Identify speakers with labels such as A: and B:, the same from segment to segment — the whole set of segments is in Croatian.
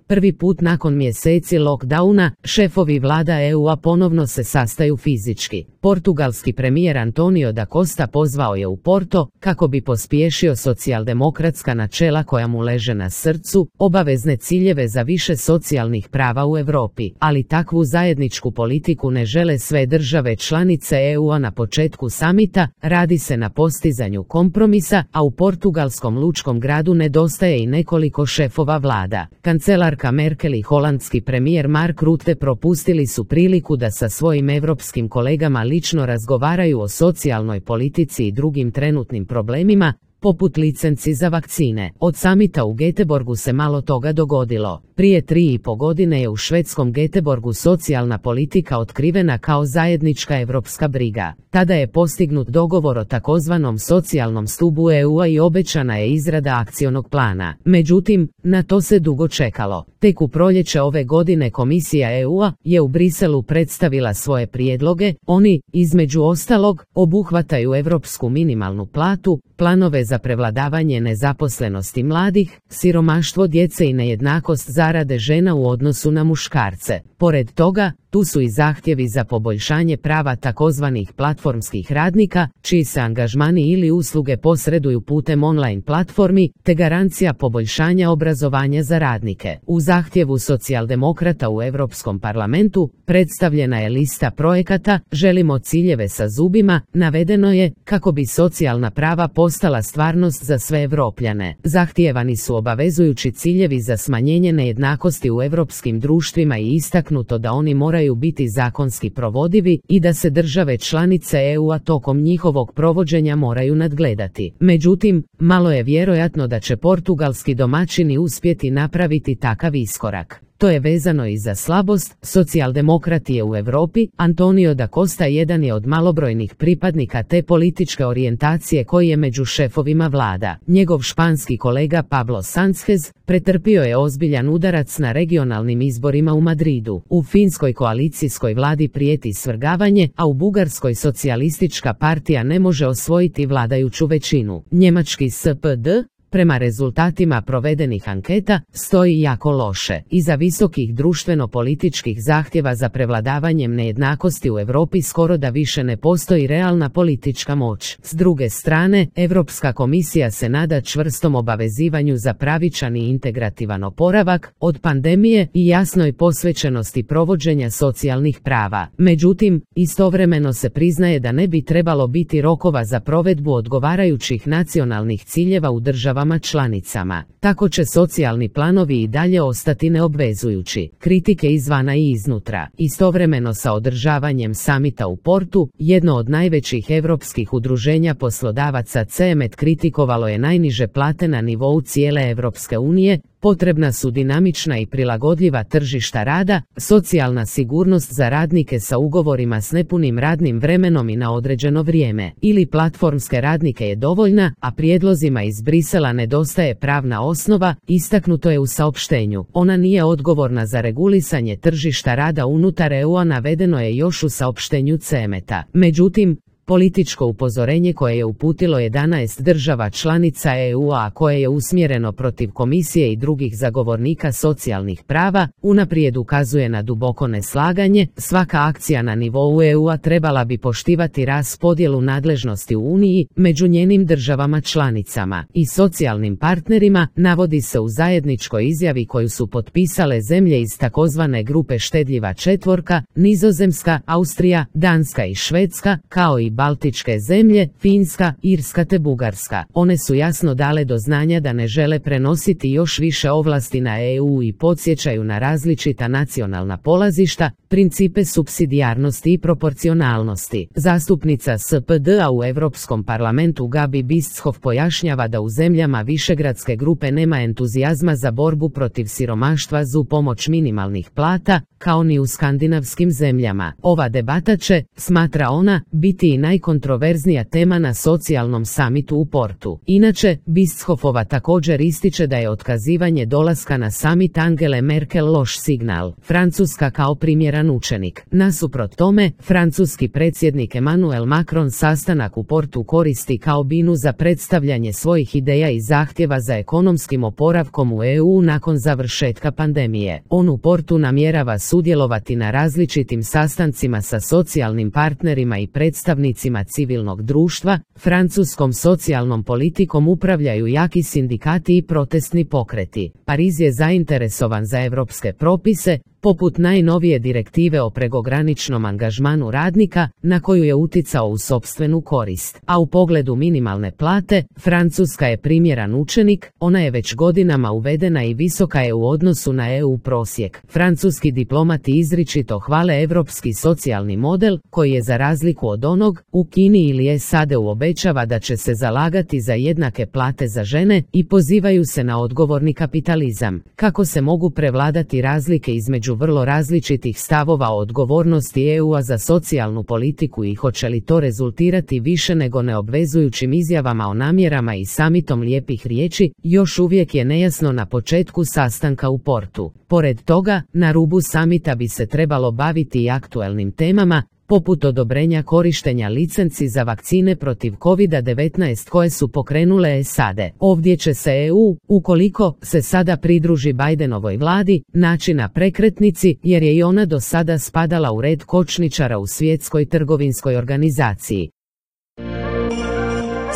A: Prvi put nakon mjeseci lockdowna, šefovi vlada EU-a ponovno se sastaju fizički. Portugalski premijer Antonio da Costa pozvao je u Porto kako bi pospješio socijaldemokratska načela koja mu leže na srcu, obavezne ciljeve za više socijalnih prava u Europi, ali takvu zajedničku politiku ne žele sve države članice EU-a na početku samita, radi se na postizanju kompromisa, a u portugalskom lučkom gradu nedostaje i nekoliko šefova vlada. Kancelarka Merkel i holandski premijer Mark Rutte propustili su priliku da sa svojim europskim kolegama lično razgovaraju o socijalnoj politici i drugim trenutnim problemima, poput licenci za vakcine. Od samita u Göteborgu se malo toga dogodilo. Prije 3,5 godine je u švedskom Göteborgu socijalna politika otkrivena kao zajednička europska briga. Tada je postignut dogovor o takozvanom socijalnom stubu EU-a i obećana je izrada akcionog plana. Međutim, na to se dugo čekalo. Tek u proljeće ove godine Komisija EU-a je u Briselu predstavila svoje prijedloge. Oni, između ostalog, obuhvataju europsku minimalnu platu, planove za prevladavanje nezaposlenosti mladih, siromaštvo djece i nejednakost zarade žena u odnosu na muškarce. Pored toga, tu su i zahtjevi za poboljšanje prava takozvanih platformskih radnika, čiji se angažmani ili usluge posreduju putem online platformi, te garancija poboljšanja obrazovanja za radnike. U zahtjevu socijaldemokrata u Europskom parlamentu predstavljena je lista projekata "Želimo ciljeve sa zubima", navedeno je kako bi socijalna prava postala stvarnost za sve Europljane. Zahtijevani su obavezujući ciljevi za smanjenje nejednakosti u europskim društvima i istaknuto da oni moraju biti zakonski provodivi i da se države članice EU-a tokom njihovog provođenja moraju nadgledati. Međutim, malo je vjerojatno da će portugalski domaćini uspjeti napraviti takav iskorak. To je vezano i za slabost socijaldemokratije u Europi. Antonio da Costa jedan je od malobrojnih pripadnika te političke orijentacije koji je među šefovima vlada. Njegov španski kolega Pablo Sánchez pretrpio je ozbiljan udarac na regionalnim izborima u Madridu. U finskoj koalicijskoj vladi prijeti svrgavanje, a u Bugarskoj socijalistička partija ne može osvojiti vladajuću većinu. Njemački SPD, prema rezultatima provedenih anketa, stoji jako loše. Iza visokih društveno-političkih zahtjeva za prevladavanjem nejednakosti u Europi skoro da više ne postoji realna politička moć. S druge strane, Europska komisija se nada čvrstom obavezivanju za pravičan i integrativan oporavak od pandemije i jasnoj posvećenosti provođenja socijalnih prava. Međutim, istovremeno se priznaje da ne bi trebalo biti rokova za provedbu odgovarajućih nacionalnih ciljeva u državama članicama. Tako će socijalni planovi i dalje ostati neobvezujući. Kritike izvana i iznutra. Istovremeno sa održavanjem samita u Portu, jedno od najvećih europskih udruženja poslodavaca CEMET kritikovalo je najniže plate na nivou cijele Europske unije. Potrebna su dinamična i prilagodljiva tržišta rada, socijalna sigurnost za radnike sa ugovorima s nepunim radnim vremenom i na određeno vrijeme. Ili platformske radnike je dovoljna, a prijedlozima iz Brisela nedostaje pravna osnova, istaknuto je u saopštenju. Ona nije odgovorna za regulisanje tržišta rada unutar EU-a, navedeno je još u saopštenju CEMET-a. Međutim, političko upozorenje koje je uputilo 11 država članica EU-a, koje je usmjereno protiv komisije i drugih zagovornika socijalnih prava, unaprijed ukazuje na duboko neslaganje. Svaka akcija na nivou EU-a trebala bi poštivati raspodjelu nadležnosti u Uniji među njenim državama članicama i socijalnim partnerima, navodi se u zajedničkoj izjavi koju su potpisale zemlje iz takozvane grupe štedljiva četvorka, Nizozemska, Austrija, Danska i Švedska, kao i Baltičke zemlje, Finska, Irska te Bugarska. One su jasno dale do znanja da ne žele prenositi još više ovlasti na EU i podsjećaju na različita nacionalna polazišta, principe supsidijarnosti i proporcionalnosti. Zastupnica SPD-a u Europskom parlamentu Gabi Bischoff pojašnjava da u zemljama Višegradske grupe nema entuzijazma za borbu protiv siromaštva za pomoć minimalnih plata, kao ni u skandinavskim zemljama. Ova debata će, smatra ona, biti i najkontroverznija tema na socijalnom samitu u Portu. Inače, Bieschofova također ističe da je otkazivanje dolaska na samit Angele Merkel loš signal. Francuska kao primjeran učenik. Nasuprot tome, francuski predsjednik Emmanuel Macron sastanak u Portu koristi kao binu za predstavljanje svojih ideja i zahtjeva za ekonomskim oporavkom u EU nakon završetka pandemije. On u Portu namjerava sudjelovati na različitim sastancima sa socijalnim partnerima i predstavnicima civilnog društva. Francuskom socijalnom politikom upravljaju jaki sindikati i protestni pokreti. Pariz je zainteresovan za europske propise, poput najnovije direktive o prekograničnom angažmanu radnika, na koju je uticao u sopstvenu korist. A u pogledu minimalne plate, Francuska je primjeran učenik, ona je već godinama uvedena i visoka je u odnosu na EU prosjek. Francuski diplomati izričito hvale europski socijalni model, koji je za razliku od onog u Kini ili SAD-u obećava da će se zalagati za jednake plate za žene i pozivaju se na odgovorni kapitalizam. Kako se mogu prevladati razlike između vrlo različitih stavova o odgovornosti EU-a za socijalnu politiku i hoće li to rezultirati više nego neobvezujućim izjavama o namjerama i samitom lijepih riječi, još uvijek je nejasno na početku sastanka u Portu. Pored toga, na rubu samita bi se trebalo baviti i aktuelnim temama, poput odobrenja korištenja licenci za vakcine protiv COVID-19 koje su pokrenule SAD. Ovdje će se EU, ukoliko se sada pridruži Bidenovoj vladi, naći na prekretnici jer je i ona do sada spadala u red kočničara u Svjetskoj trgovinskoj organizaciji.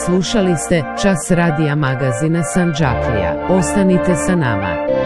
A: Slušali ste Čas radija magazina Sandžaklija. Ostanite sa nama.